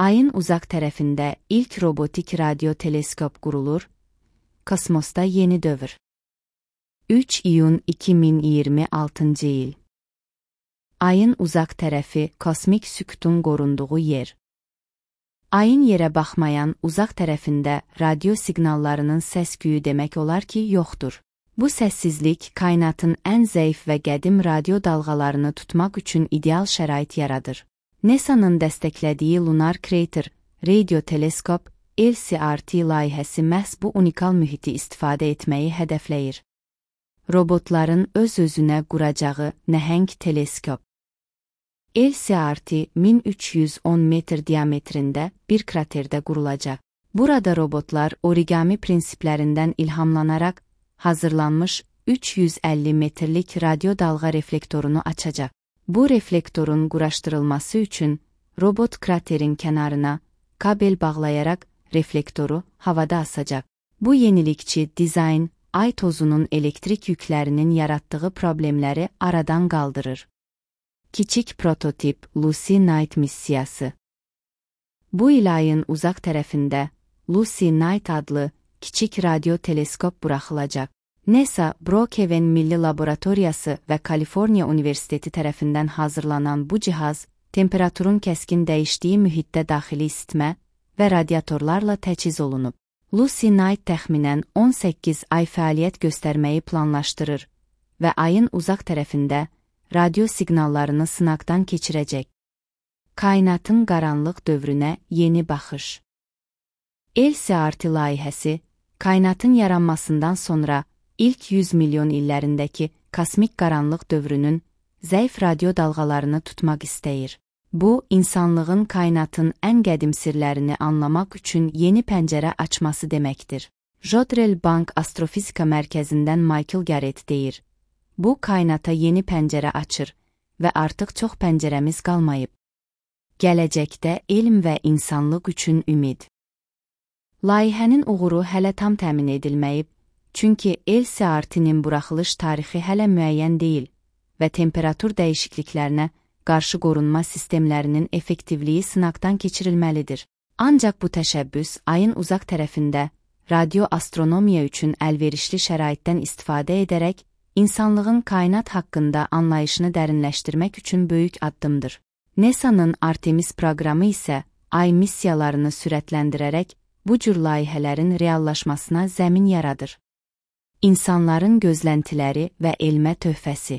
Ayın uzaq tərəfində ilk robotik radio teleskop qurulur. Kosmosda yeni dövr. 3 iyun 2026 il. Ayın uzaq tərəfi kosmik sükutun qorunduğu yer. Ayın yerə baxmayan uzaq tərəfində radio siqnallarının səs-küyü demək olar ki, yoxdur. Bu səssizlik kainatın ən zəif və qədim radio dalğalarını tutmaq üçün ideal şərait yaradır. NASA-nın dəstəklədiyi Lunar Crater Radio Teleskop LCRT layihəsi məhz bu unikal mühiti istifadə etməyi hədəfləyir. Robotların öz-özünə quracağı nəhəng teleskop. LCRT 1310 metr diametrində bir kraterdə qurulacaq. Burada robotlar origami prinsiplərindən ilhamlanaraq hazırlanmış 350 metrlik radio dalğa reflektorunu açacaq. Bu reflektorun quraşdırılması üçün robot kraterin kənarına kabel bağlayaraq reflektoru havada asacaq. Bu yenilikçi dizayn ay tozunun elektrik yüklərinin yaratdığı problemləri aradan qaldırır. Kiçik prototip Lucy Knight missiyası. Bu il ayın uzaq tərəfində Lucy Knight adlı kiçik radio teleskop buraxılacaq. NASA, Brookhaven Milli Laboratoriyası və Kaliforniya Universiteti tərəfindən hazırlanan bu cihaz, temperaturun kəskin dəyişdiyi mühitdə daxili isitmə və radiatorlarla təchiz olunub. Lucy Knight təxminən 18 ay fəaliyyət göstərməyi planlaşdırır və ayın uzaq tərəfində radio siqnallarını sınaqdan keçirəcək. Kainatın qaranlıq dövrünə yeni baxış. LCRT layihəsi, kainatın yaranmasından sonra İlk 100 milyon illərindəki kosmik qaranlıq dövrünün zəif radio dalğalarını tutmaq istəyir. Bu, insanlığın kainatın ən qədim sirlərini anlamaq üçün yeni pəncərə açması deməkdir. Jodrell Bank Astrofizika Mərkəzindən Michael Garrett deyir. Bu, kainata yeni pəncərə açır və artıq çox pəncərəmiz qalmayıb. Gələcəkdə elm və insanlıq üçün ümid. Layihənin uğuru hələ tam təmin edilməyib, çünki LCRT-nin buraxılış tarixi hələ müəyyən deyil və temperatur dəyişikliklərinə qarşı qorunma sistemlərinin effektivliyi sınaqdan keçirilməlidir. Ancaq bu təşəbbüs ayın uzaq tərəfində radioastronomiya üçün əlverişli şəraitdən istifadə edərək insanlığın kainat haqqında anlayışını dərinləşdirmək üçün böyük addımdır. NASA-nın Artemis proqramı isə ay missiyalarını sürətləndirərək bu cür layihələrin reallaşmasına zəmin yaradır. İnsanların gözləntiləri və elmə töhfəsi.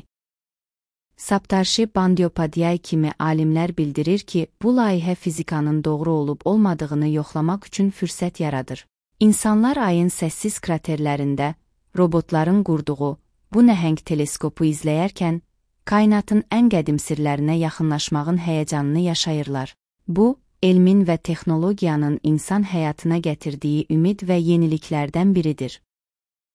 Saptarshi Bandyopadhyay kimi alimlər bildirir ki, bu layihə fizikanın doğru olub-olmadığını yoxlamaq üçün fürsət yaradır. İnsanlar ayın səssiz kraterlərində robotların qurduğu bu nəhəng teleskopu izləyərkən, kainatın ən qədim sirlərinə yaxınlaşmağın həyəcanını yaşayırlar. Bu, elmin və texnologiyanın insan həyatına gətirdiyi ümid və yeniliklərdən biridir.